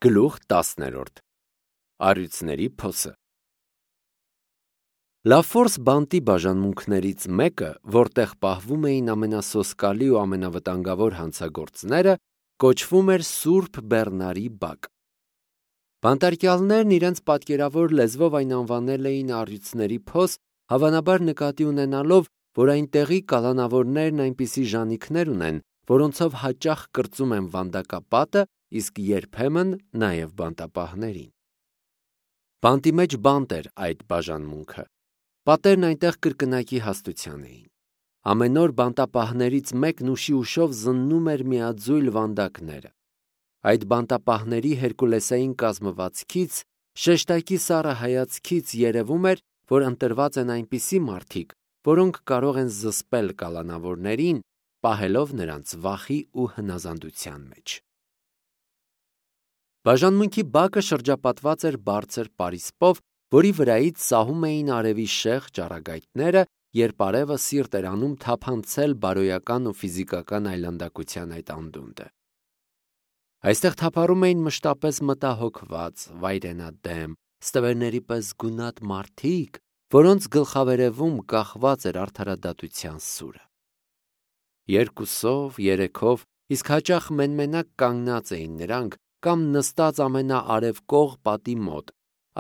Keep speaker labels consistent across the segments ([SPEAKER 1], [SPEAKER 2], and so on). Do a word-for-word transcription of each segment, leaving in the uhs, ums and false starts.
[SPEAKER 1] Գլուխ տասներորդ Առյուծների փոսը Լաֆորս բանտի բաժանմունքներից մեկը, որտեղ պահվում էին ամենասոսկալի ու ամենավտանգավոր հանցագործները, կոչվում էր Սուրբ Բեռնարի բակ։ Բանտարկյալներն իրենց պատկերավոր լեզվով այն անվանել էին առյուծների փոս, հավանաբար նկատի ունենալով, որ այնտեղի կալանավորներն այնպիսի ժանիքներ ունեն, որոնցով հաճախ կրծում են վանդակապատը, իսկ երբեմն նաև բանտապահներին։ Բանտի մեջ բանտ էր այդ բաժանմունքը։ Պատերն այնտեղ կրկնակի հաստության էին։ Ամեն օր բանտապահներից մեկն ուշի ուշով զննում էր միաձույլ վանդակները։ Այդ բանտապահների հերկուլեսային կազմվածքից, շեշտակի սառը հայացքից երևում էր, որ ընտրված են այնպիսի մարդիկ, որոնք կարող են զսպել կալանավորներին, պահելով նրանց վախի ու հնազանդության մեջ։ Բաժանմունքի բակը շրջապատված էր բարձր պարիսպով, որի վրայից սահում էին արևի շեղ ճառագայթները, երբ արևը սիրտ էր անում թափանցել բարոյական ու ֆիզիկական այլանդակության այդ անդունդը։ Այստեղ թափառում էին մշտապես մտահոգված, վայրենադեմ, ստվերների պես գունատ մարդիկ, որոնց գլխավերևում կախված էր արդարադատության սուրը։ Երկուսով, երեքով, իսկ հաճախ մենմենակ կանգնած էին նրանք կամ նստած ամենաարևկող պատի մոտ,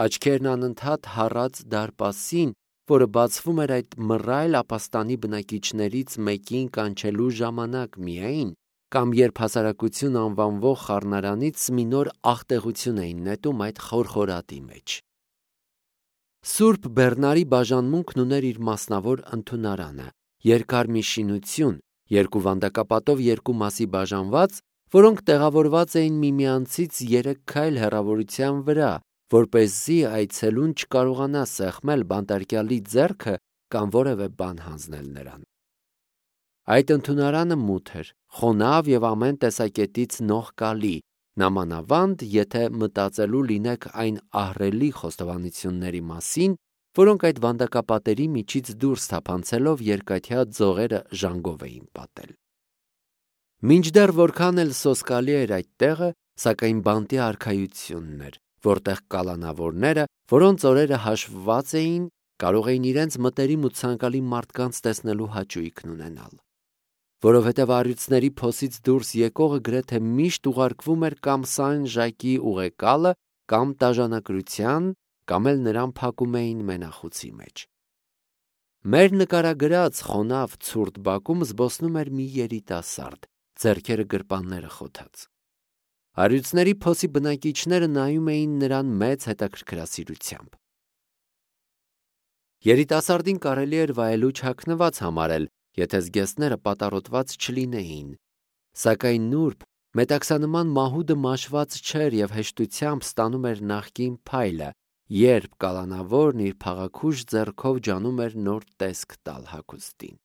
[SPEAKER 1] աչքերն անընդհատ հառած դարպասին, որը բացվում էր այդ մռայլ ապաստանի բնակիչներից մեկին կանչելու ժամանակ միայն, կամ երբ հասարակություն անվանվող խառնարանից մի նոր աղտեղություն էին նետում այդ խորխորատի մեջ։ Սուրբ Բեռնարի բաժանմունքն ուներ իր մասնավոր ընդունարանը, երկար մի շինություն, երկու վանդակապատով երկու մասի բաժանված, որոնք տեղավորված էին միմյանցից երեք քայլ հեռավորության վրա, որպեսզի այցելուն չկարողանա սեղմել բանտարկյալի ձեռքը կամ որևէ բան հանձնել նրան։ Այդ ընդունարանը մութ էր, խոնավ և ամեն տեսակետից նողկալի, նամանավանդ, եթե մտածելու լինեք այն ահռելի խոստովանությունների մասին, որոնք այդ վանդակապատերի միջից դուրս թափանցելով երկաթյա ձողերը ժանգով էին պատել։ Մինչդեռ որքան էլ սոսկալի էր այդ տեղը, սակայն բանտի արքայությունն էր, որտեղ կալանավորները, որոնց օրերը հաշվված էին, կարող էին իրենց մտերիմ ու ցանկալի մարդկանց տեսնելու հաճույքն ունենալ։ Որովհետև առյուծների փոսից դուրս եկողը գրեթե միշտ ուղարկվում էր կամ Սան Ժակի ուղեկալը, կամ տաժանակրության, կամ էլ նրան փակում էին մենախուցի մեջ։ Մեր նկարագրած խոնավ ցուրտ բակում զբոսնում էր մի երիտասարդ, ձեռքերը գրպանները խոթած։ Առյուծների փոսի բնակիչները նայում էին նրան մեծ հետաքրքրասիրությամբ։ Երիտասարդին կարելի էր վայելուչ հագնված համարել, եթե զգեստները պատառոտված չլինեին, սակայն նուրբ, մետաքսանման մահուդը մաշված չէր և հեշտությամբ ստանում էր նախկին փայլը, երբ կալանավորն իր փաղաքուշ ձեռքով ջանում էր նոր տեսք տալ հագուստին։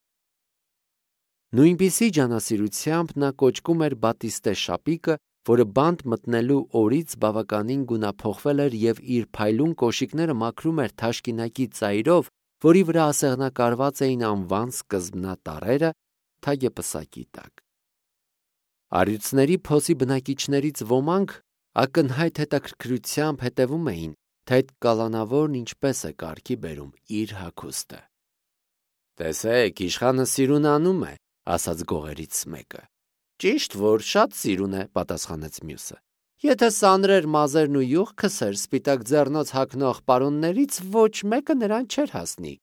[SPEAKER 1] Նույնպիսի ջանասիրությամբ նա կոճկում էր բատիստե շապիկը, որը բանտ մտնելու օրից բավականին գունափոխվել էր և իր փայլուն կոշիկները մաքրում էր թաշկինակի ծայրով, որի վրա ասեղնակարված էին անվան սկզբնատառերը, թագեպսակի տակ։ Առյուծների փոսի բնակիչներից ոմանք ակնհայտ հետաքրքրությամբ հետևում էին, թե այդ կալանավորն ինչպես է կարգի բերում իր հագուստը։ «Տեսեք, իշխանը սիրուն անում է», ասաց գողերից մեկը։ «Ճիշտ որ շատ սիրուն է», պատասխանեց մյուսը։ «Եթե սանրեր մազերն ու յուղ քսեր սպիտակ ձեռնոց հագնող պարոններից ոչ մեկը նրան չէր հասնի։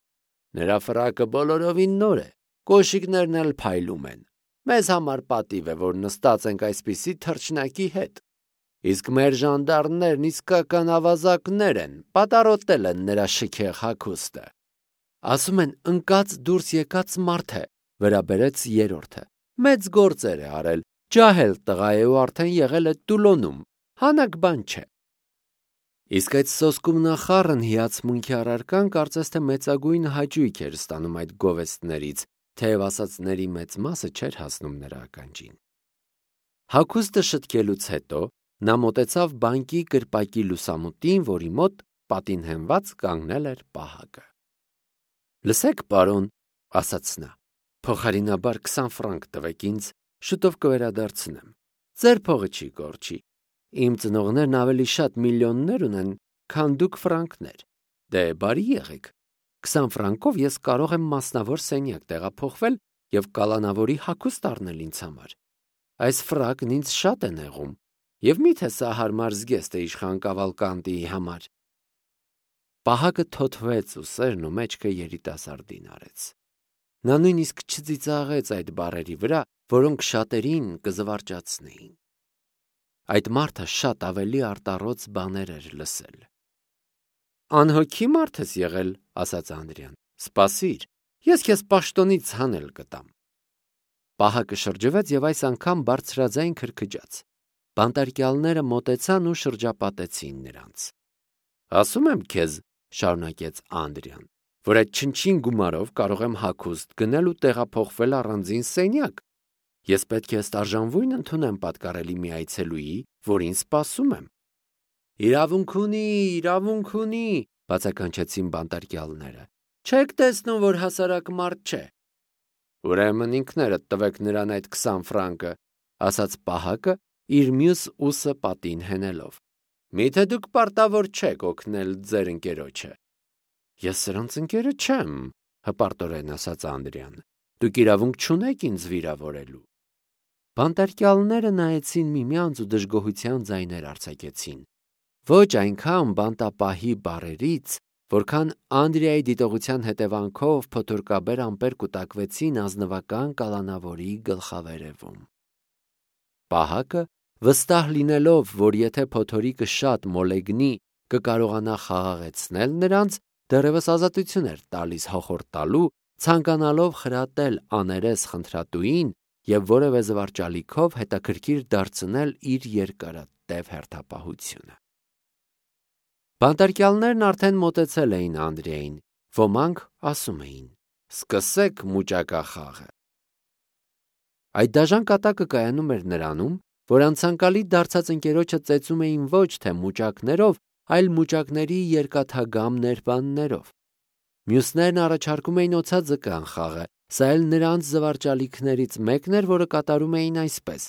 [SPEAKER 1] Նրա ֆրակը բոլորովին նոր է, կոշիկներն էլ փայլում են։ Մեզ համար պատիվ է, որ նստած ենք այսպիսի թռչնակի հետ։ Իսկ մեր ժանդարմներն իսկական ավազակներ են, պատառոտել են նրա շքեղ հագուստը»։ «Ասում են ընկած դուրս եկած մարդ է», վրա բերեց երրորդը։ «Մեծ գործեր է արել, ջահել տղա է ու արդեն եղել է Տուլոնում, հանաք բան չէ»։ Իսկ այդ սոսկում նախառն հիացմունքի առարկան կարծես թե մեծագույն հաճույք էր ստանում այդ գովեստներից, թեև ասածների մեծ մասը չէր հասնում նրա ականջին։ Հագուստը շտկելուց հետո նա մոտեցավ բանկի կրպակի լուսամուտին, որի մոտ պատին հենված կանգնել էր պահակը։ «Լսեք, պարոն», ասաց նա, «փոխարինաբար քսան ֆրանկ տվեք ինձ, շուտով կվերադարձնեմ։ Ձեր փողը չի կորչի։ Իմ ծնողներն ավելի շատ միլիոններ ունեն, քան դուք ֆրանկներ։ Դե բարի եղեք։ Քսան ֆրանկով ես կարող եմ մասնավոր սենյակ տեղափոխվել և կալանավորի հագուստ առնել ինձ համար։ Այս ֆրակն ինձ շատ է նեղում, և մի՞թե սա հարմար զգեստ է իշխան Կավալկանտիի համար։ Պահակը թոթվեց ու սերն ու մեջքը երիտասարդին արեց։ Նա նույնիսկ չծիծաղեց այդ բառերի վրա, որոնք շատերին կզվարճացնեին։ Այդ մարդը շատ ավելի արտառոց բաներ էր լսել։ Անհոգի մարդ ես եղել, ասաց Անդրեան։ Սպասիր, ես քեզ պաշտոնից հանել կտամ։ Պահակը շրջվեց և այս անգամ բարձրաձայն քրքջաց։ Բանտարկյալները մոտեցան ու շրջապատեցին նրանց։ Ասում եմ քեզ, շարունակեց Անդրեան, որ այդ չնչին գումարով կարող եմ հագուստ գնել ու տեղափոխվել առանձին սենյակ։ Ես պետք է ըստ արժանվույն ընդունեմ պատկառելի մի այցելուի, որին սպասում եմ։ Իրավունք ունի, իրավունք ունի, բացականչեցին բանտարկյալները։ Չեք տեսնում, որ հասարակ մարդ չէ։ Ուրեմն ինքներդ տվեք նրան այդ քսան ֆրանկը, ասաց Պահակը, իր մյուս ուսը պատին հենելով։ Միթե դուք պարտավոր չեք օգնել ձեր ընկերոջը։ Ես սրանց ընկերը չեմ, հպարտորեն ասաց Անդրեան։ Դուք իրավունք չունեք ինձ վիրավորելու։ Բանտարկյալները նայեցին միմյանց ու դժգոհության ձայներ արձակեցին։ Ոչ այնքան բանտապահի բառերից, որքան Անդրեայի դիտողության հետևանքով փոթորկաբեր ամպեր կուտակվեցին ազնվական կալանավորի գլխավերևում։ Պահակը, վստահ լինելով, որ եթե փոթորիկը շատ մոլեգնի, կկարողանա խաղաղեցնել նրանց, դեռևս ազատություն էր տալիս հոխորտալու, ցանկանալով խրատել աներես խնդրատուին և որևէ զվարճալիքով հետաքրքիր դարձնել իր երկարատև հերթապահությունը։ Բանտարկյալներն արդեն մոտեցել էին Անդրեային, ոմանք ասում էին. «Սկսեք մուճակախաղը»։ Այդ դաժան կատակը կայանում էր նրանում, որ անցանկալի դարձած ընկերոջը ծեծում էին ոչ թե մուճակներով, այլ մուճակների երկաթագամ ներբաններով։ Մյուսներն առաջարկում էին օձաձկան խաղը, սա էլ նրանց զվարճալիքներից մեկն էր, որը կատարում էին այսպես.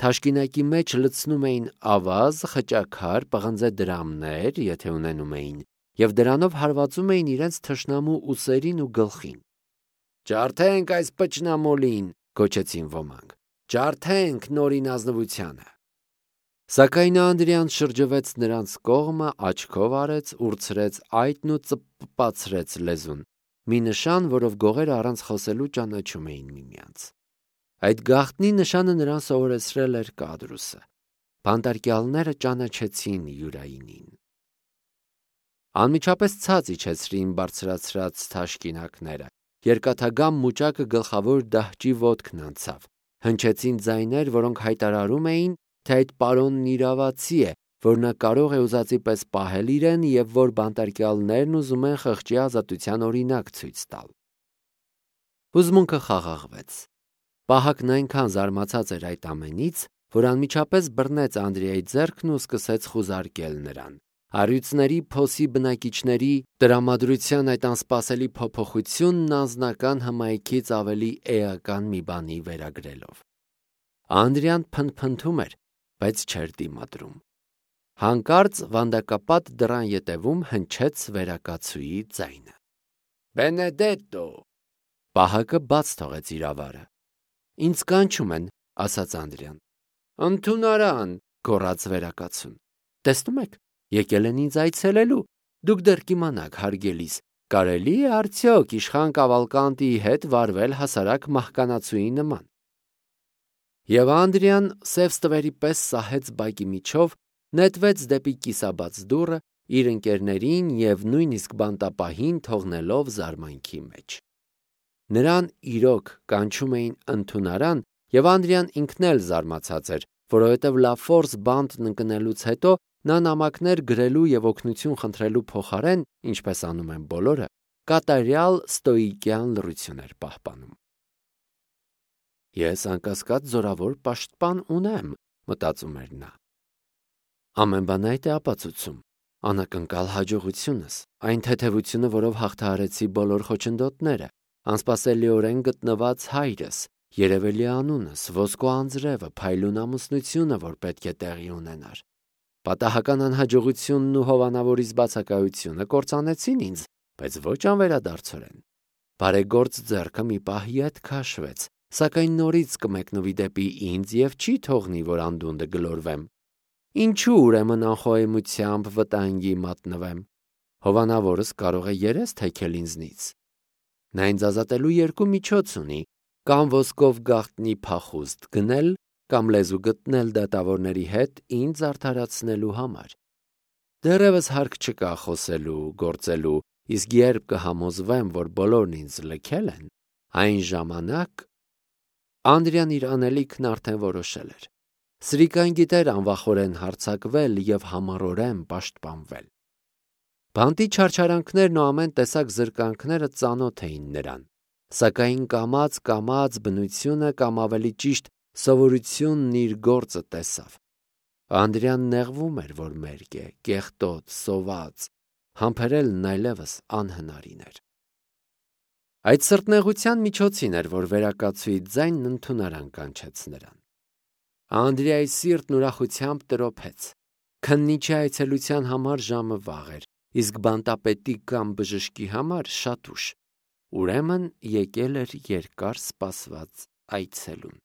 [SPEAKER 1] թաշկինակի մեջ լցնում էին ավազ, խճաքար, պղնձե դրամներ, եթե ունենում էին, և դրանով հարվածում էին իրենց թշնամու ուսերին ու գլխին։ Ջարդենք այս պճնամոլին, գոչեցին ոմանք, ջարդենք նորին ազնվությանը։ Սակայն Անդրեան շրջվեց նրանց կողմը, աչքով արեց, ուրցրեց այտն ու ծպպացրեց լեզուն, մի նշան, որով գողերը առանց խոսելու ճանաչում էին միմյանց։ Այդ գաղտնի նշանը նրան սովորեցրել էր Կադրուսը։ Բանտարկյալները ճանաչեցին Յուրայինին։ Անմիջապես ցած իջեցրին բարձրացրած թաշկինակները, երկաթագամ մուճակը գլխավոր դահճի ոտքն անցավ, հնչեցին ձայներ, որոնք հայտարարում էին, թե այդ պարոնն իրավացի է, որ նա կարող է ուզածի պես պահել իրեն և որ բանտարկյալներն ուզում են խղճի ազատության օրինակ ցույց տալ։ Հուզմունքը խաղաղվեց։ Պահակն այնքան զարմացած էր այդ ամենից, որ անմիջապես բռնեց Անդրեայի ձեռքն ու սկսեց խուզարկել նրան։ Առյուծների փոսի բնակիչների տրամադրության այդ անսպասելի փոփոխությունն անձնական հմայքից ավելի էական մի բանի վերագրելով։ Անդրեան փնթփնթում էր, բայց չէր դիմադրում։ Հանկարծ վանդակապատ դռան ետևում հնչեց վերակացուի ձայնը։ Բենեդետո։ Պահակը բաց թողեց իր ավարը։ Ինձ կանչում են, ասաց Անդրեան։ Ընդունարան, գոռաց վերակացուն։ Տեսնում եք, եկել են ինձ այցելելու։ Դուք դեռ կիմանաք, հարգելիս, կարելի է արդյոք իշխան Կավալկանտիի հետ վարվել հասարակ մահկանացուի նման։ Եվ Անդրեան սև ստվերի պես սահեց բակի միջով, նետվեց դեպի կիսաբաց դուռը, իր ընկերներին և նույնիսկ բանտապահին թողնելով զարմանքի մեջ։ Նրան իրոք կանչում էին ընդունարան, և Անդրեան ինքն էլ զարմացած էր, որովհետև լաֆորս բանտն ընկնելուց հետո նա նամակներ գրելու և օգնություն խնդրելու փոխարեն, ինչպես անում են բոլորը, կատարյալ ստոիկյան լռություն էր պահպանում։ Ես անկասկած զորավոր պաշտպան ունեմ, մտածում էր նա։ Ամեն բան այդ է ապացուցում, անակնկալ հաջողությունս, այն թեթևությունը, որով հաղթահարեցի բոլոր խոչընդոտները, անսպասելիորեն գտնված հայրս, երևելի անունս, ոսկու անձրևը, փայլուն ամուսնությունը, որ պետք է տեղի ունենար։ Պատահական անհաջողությունն ու հովանավորից բացակայությունը կործանեցին ինձ, բայց ոչ անվերադարձորեն։ Բարեգործ ձեռքը մի պահի հետ քաշվեց, սակայն նորից կմեկնվի դեպի ինձ և չի թողնի, որ անդունդը գլորվեմ։ Ինչու ուրեմն անխոհեմությամբ վտանգի մատնվեմ։ Հովանավորս կարող է երես թեքել ինձնից։ Նա ինձ ազատելու երկու միջոց ունի՝ կամ ոսկով գաղտնի փախուստ գնել, կամ լեզու գտնել դատավորների հետ ինձ արդարացնելու համար։ Դեռևս հարկ չկա խոսելու, գործելու, իսկ երբ կհամոզվեմ, որ բոլորն ինձ լքել են, այն ժամանակ… Անդրեան իր անելիքն արդեն որոշել էր։ Սրիկան գիտեր անվախորեն հարձակվել և համառորեն պաշտպանվել։ Բանտի չարչարանքներն ու ամեն տեսակ զրկանքները ծանոթ էին նրան, սակայն կամաց-կամաց բնությունը կամ ավելի ճիշտ սովորությունն իր գործը տեսավ։ Անդրեան նեղվում էր, որ մերկ է, կեղտոտ, սոված, համբերելն այլևս անհնարին էր։ Այդ սրտնեղության միջոցին էր, որ վերակացուի ձայնն ընդունարան կանչեց նրան։ Անդրեայի սիրտն ուրախությամբ տրոփեց։ Քննիչի այցելության համար ժամը վաղ էր, իսկ բանտապետի կամ բժշկի համար շատ ուշ։ Ուրեմն եկել էր երկար սպասված այցելուն։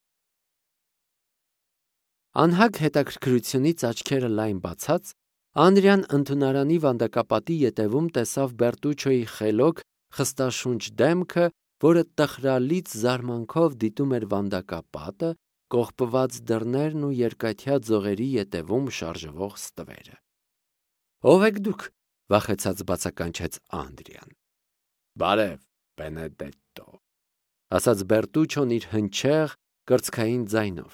[SPEAKER 1] Անհագ հետաքրքրությունից աչքերը լայն բացած, Անդրեան ընդունարանի վանդակապատի ետևում տեսավ Բերտուչոյի խելոք, խստաշունչ դեմքը, որը տխրալից զարմանքով դիտում էր վանդակապատը, կողպված դռներն ու երկաթյա ձողերի ետևում շարժվող ստվերը։ «Ո՞վ եք դուք», վախեցած բացականչեց Անդրեան։ «Բարև, Բենեդետտո», ասաց Բերտուչոն իր հնչեղ, կրծքային ձայնով։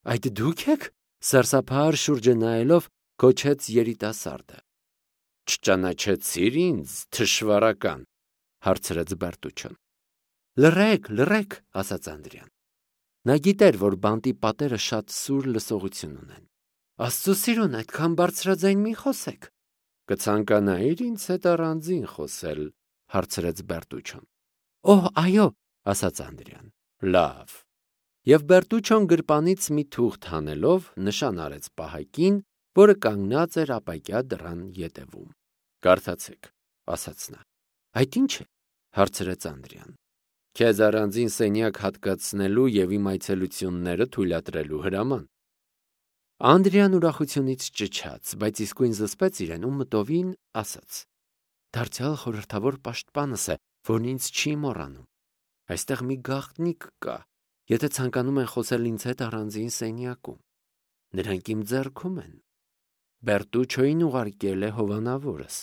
[SPEAKER 1] «Այդ դու՞ք եք», սարսափահար շուրջը նայելով գոչեց երիտասարդը։ «Չճանաչեցի՞ր ինձ, թշվառական», հարցրեց Բերտուչոն։ «Լռեք, լռեք», ասաց Անդրեան։ Նա գիտեր, որ բանտի պատերը շատ սուր լսողություն ունեն։ «Աստծո սիրուն, այդքան բարձրաձայն մի խոսեք»։ «Կցանկանայիր ինձ հետ առանձին խոսել», հարցրեց Բերտուչոն։ «Օհ, այո», ասաց Անդրեան։ «Լավ»։ Եվ Բերտուչոն գրպանից մի թուղթ հանելով նշան արեց պահակին, որը կանգնած էր ապակյա դռան ետևում։ «Կարդացեք», ասաց նա։ «Այդ ի՞նչ է», հարցրեց Անդրեան։ «Քեզ առանձին սենյակ հատկացնելու և իմ այցելությունները թույլատրելու հրաման»։ Անդրեան ուրախությունից ճչաց, բայց իսկույն զսպեց իրեն ու մտովին ասաց. «Դարձյալ խորհրդավոր պաշտպանս է, որն ինձ չի մոռանում։ Այստեղ մի գաղտնիք կա, եթե ցանկանում են խոսել ինձ հետ առանձին սենյակում։ Նրանք իմ ձեռքում են։ Բերտուչոյին ուղարկել է հովանավորս»։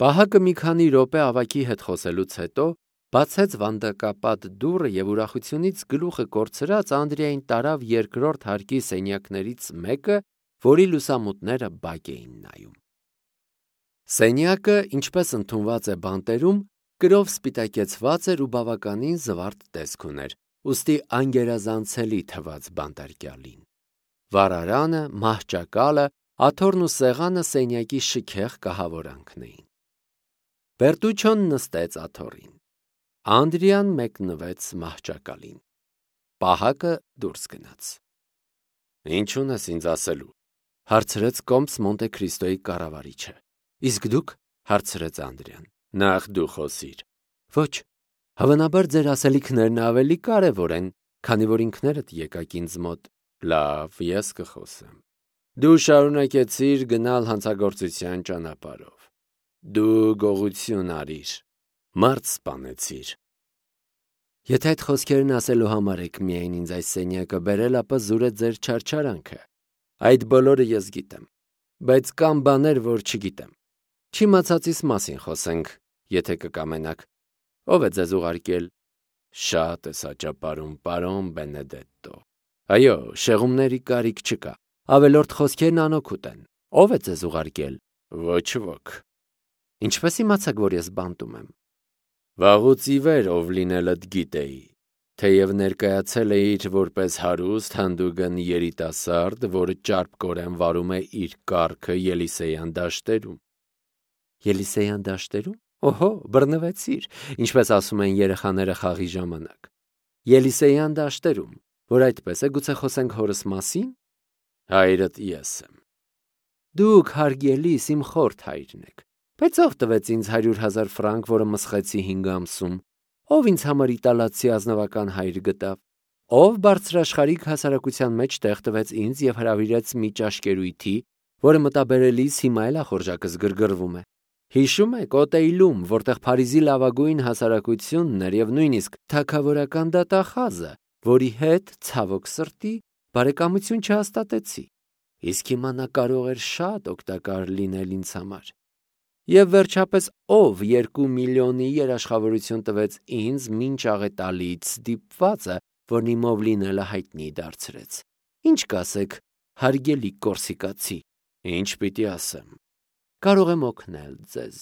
[SPEAKER 1] Պահակը մի քանի րոպե ավագի հետ խոսելուց հետո բացեց վանդակապատ դուռը և ուրախությունից գլուխը կորցրած Անդրեային տարավ երկրորդ հարկի սենյակներից մեկը, որի լուսամուտները բակ էին նայում։ Սենյակը, ինչպես ընդունված է բանտերում, կրով սպիտակեցված էր ու բավականին զվարթ տեսք ուներ, ուստի անգերազանցելի թվաց բանտարկյալին։ Վառարանը, մահճակալը, աթոռն ու սեղանը սենյակի շքեղ կահավորանքն էին։ Բերտուչոն նստեց աթոռին։ Անդրեան մեկնվեց մահճակալին։ Պահակը դուրս գնաց։ «Ինչ ունես ինձ ասելու», հարցրեց կոմս Մոնտե Քրիստոյի կառավարիչը։ «Իսկ դուք», հարցրեց Անդրեան։ «Նախ դու խոսիր»։ «Ոչ, հավանաբար ձեր ասելիքներն ավելի կարևոր են, քանի որ ինքներդ եկաք ինձ մոտ»։ «Լավ, ես կխոսեմ։ Դու շարունակեցիր գնալ հանցագործության ճանապարհով։ Դու գողություն արիր, մարդ սպանեցիր»։ «Եթե այդ խոսքերն ասելու համար եք միայն ինձ այս սենյակը բերել, ապա զուր է ձեր չարչարանքը։ Այդ բոլորը ես գիտեմ, բայց կան բաներ, որ չգիտեմ։ Չիմացածիս մասին խոսենք, եթե կկամենաք։ Ո՞վ է ձեզ ուղարկել»։ «Շատ ես աճապարում, պարոն Բենեդետտո։ Այո, շեղումների կարիք չկա։ Ավելորդ խոսքերն անօգուտ են։ Ո՞վ է ձեզ ուղարկել»։ «Ոչ ոք»։ «Ինչպես իմացաք, որ ես բանտում եմ»։ «Վաղուց ի վեր ով լինելդ գիտեի, թեև ներկայացել էիր որպես հարուստ, հանդուգն երիտասարդ, որը ճարպկորեն վարում է իր կառքը Ելիսեյան դաշտերում»։ «Ելիսեյան դաշտերում։ Օհո, բռնվեցիր, ինչպես ասում են երեխաները խաղի ժամանակ։ Ելիսեյան դաշտերում, որ այդպես է, գուցե խոսենք հորս մասի՞ն»։ Հայրդ ես եմ։ Դուք հարգելիս իմ խորթ հայրն եք, բայց ով տվեց ինձ հարյուր հազար ֆրանկ, որը մսխեցի հինգ ամսում, ով ինձ համար իտալացի ազնվական հայր գտավ, ով բարձրաշխարհիկ հասարակության մեջ տեղ տվեց ինձ և հրավիրեց մի ճաշկերույթի, որը մտաբերելիս հիմա էլ ախորժակս գրգռվում է։ Հիշում եք Օտեյլում, որտեղ Փարիզի լավագույն հասարակությունն էր և նույնիսկ թագավորական դատախազը, որի հետ, ցավոք սրտի, բարեկամություն չհաստատեցի, իսկ հիմա նա կարող էր շատ օգտակար լինել ինձ համար։ Եվ վերջապես ով երկու միլիոնի երաշխավորություն տվեց ինձ մինչ աղետալից ստիպվածը, որն իմով լինելը հայտնի դարձրեց։ Ինչ կասեք, հարգելի կորսիկացի, ինչ պիտի ասեմ։ Կարող եմ օգնել ձեզ։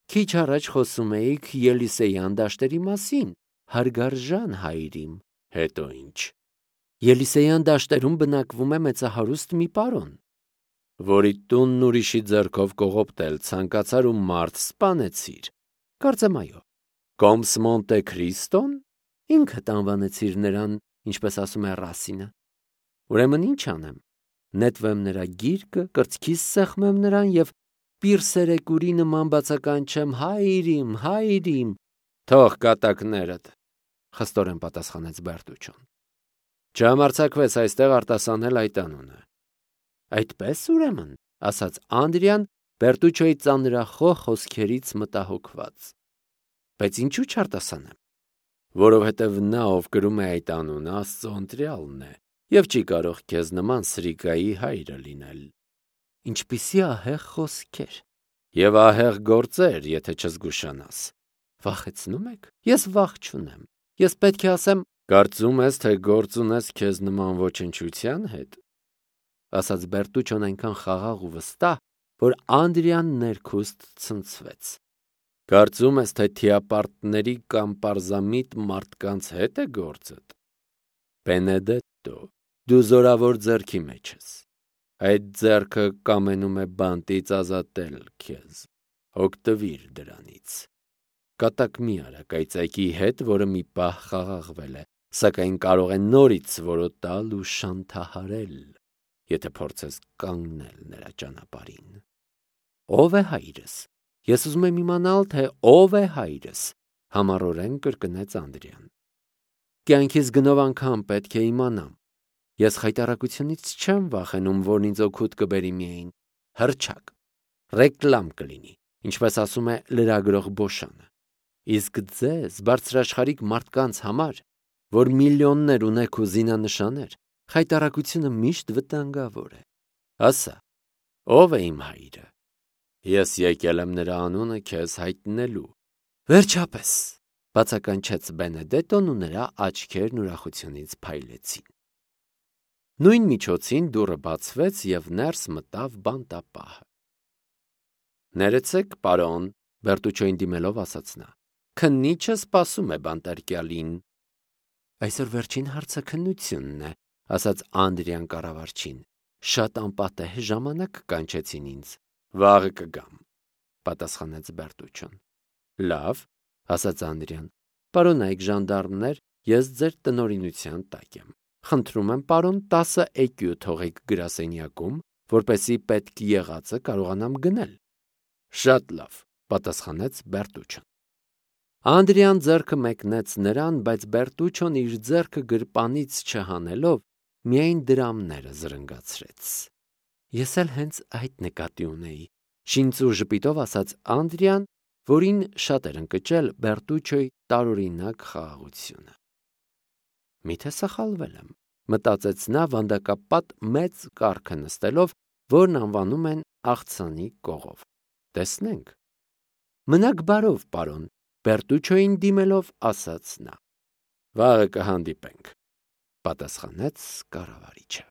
[SPEAKER 1] Քիչ առաջ խոսում էիք Ելիսեյան դաշտերի մասին, հարգարժան հայրիմ, հետո ինչ։ Ելիսեյան դաշտերում բնակվում է մեծահարուստ մի պարոն, որի տունն ուրիշի ձեռքով կողոպտել ցանկացար ու մարդ սպանեցիր։ Կարծեմ այո։ Կոմս Մոնտե Քրիստոն, ինքդ անվանեցիր նրան, ինչպես ասում է Ռասինը։ Ուրեմն ինչ անեմ։ Նետվեմ նրա գիրկը, կրծքիս սեղմեմ նրան և պիրսերեկուրի նման բացականչեմ հայրիմ, հայրիմ։ Թող կատակներդ, խստորեն պատասխանեց Բերտուչոն։ Չհամարձակվես այստեղ արտասանել այդ անունը։ Այդպես ուրեմն, ասաց Անդրեան Բերտուչոյի ծանրախոհ խոսքերից մտահոգված։ Բայց ինչու չարտասանեմ։ Որովհետև նա, ով կրում է այդ անունը, Աստծո ընտրյալն է և չի կարող քեզ նման սրիկայի հայրը լինել։ Ինչպիսի ահեղ խոսքեր և ահեղ գործեր, եթե չզգուշանաս։ Վախեցնում եք։ Ես վախ չունեմ։ Ես պետք է ասեմ, կարծում ես, թե գործ ունես քեզ նման ոչնչության հետ, ասաց Բերտուչոն այնքան խաղաղ ու վստահ, որ Անդրեան ներքուստ ցնցվեց։ Կարծում ես, թե թիապարտների կամ պարզամիտ մարդկանց հետ է գործդ։ Բենեդետտո, դու զորավոր ձեռքի մեջ ես։ Այդ ձեռքը կամենում է բանտից ազատել քեզ։ Օգտվիր դրանից։ Կատակ մի արա կայծակի հետ, որը մի պահ խաղաղվել է, սակայն կարող է նորից որոտալ ու շանթահարել, եթե փորձես կանգնել նրա ճանապարհին։ Ո՞վ է հայրս։ Ես ուզում եմ իմանալ, թե ով է հայրս, համառորեն կրկնեց Անդրեան։ Կյանքիս գնով անգամ պետք է իմանամ։ Ես խայտառակությունից չեմ վախենում, որն ինձ օգուտ կբերի միայն հռչակ, ռեկլամ կլինի, ինչպես ասում է լրագրող Բոշանը։ Իսկ ձեզ, բարձրաշխարհիկ մարդկանց համար, որ միլիոններ ունեք ու զինանշաններ, խայտառակությունը միշտ վտանգավոր է։ Ասա, ով է իմ հայրը։ Ես եկել եմ նրա անունը քեզ հայտնելու։ Վերջապես, բացականչեց Բենեդետոն ու նրա աչքերն ուրախությունից փայլեցին։ Նույն միջոցին դուռը բացվեց և ներս մտավ բանտապահը։ Ներեցեք, պարոն, Բերտուչոյին դիմելով ասաց նա։ Քննիչը սպասում է բանտարկյալին։ Այսօր վերջին հարցը քննությունն է, ասաց Անդրեան կառավարչին։ Շատ անպատեհ ժամանակ կանչեցին ինձ։ Վաղը կգամ, պատասխանեց Բերտուչոն։ Լավ, ասաց Անդրեան։ Պարոնայք ժանդարմներ, ես ձեր տնօրինության տակ եմ։ Խնդրում եմ, պարոն, տասը էկյու թողեք գրասենյակում, որպեսզի պետք եղածը կարողանամ գնել։ Շատ լավ, պատասխանեց Բերտուչոն։ Անդրեան ձեռքը մեկնեց նրան, բայց Բերտուչոն իր ձեռքը գրպանից չհանելով, միայն դրամները զրնգացրեց։ Ես էլ հենց այդ նկատի ունեի, շինծու ժպիտով ասաց Անդրեան, որին շատ էր ընկճել Բերտուչոյի տարօրինակ խաղաղությունը։ Միթե սխալվել եմ, մտածեց նա վանդակապատ մեծ կառքը նստելով, որն անվանում են աղցանի կողով։ Տեսնենք։ Մնաք բարով, պարոն, Բերտուչոյին դիմելով ասաց նա։ Վաղը կհանդիպենք, պատասխանեց կառավարիչը։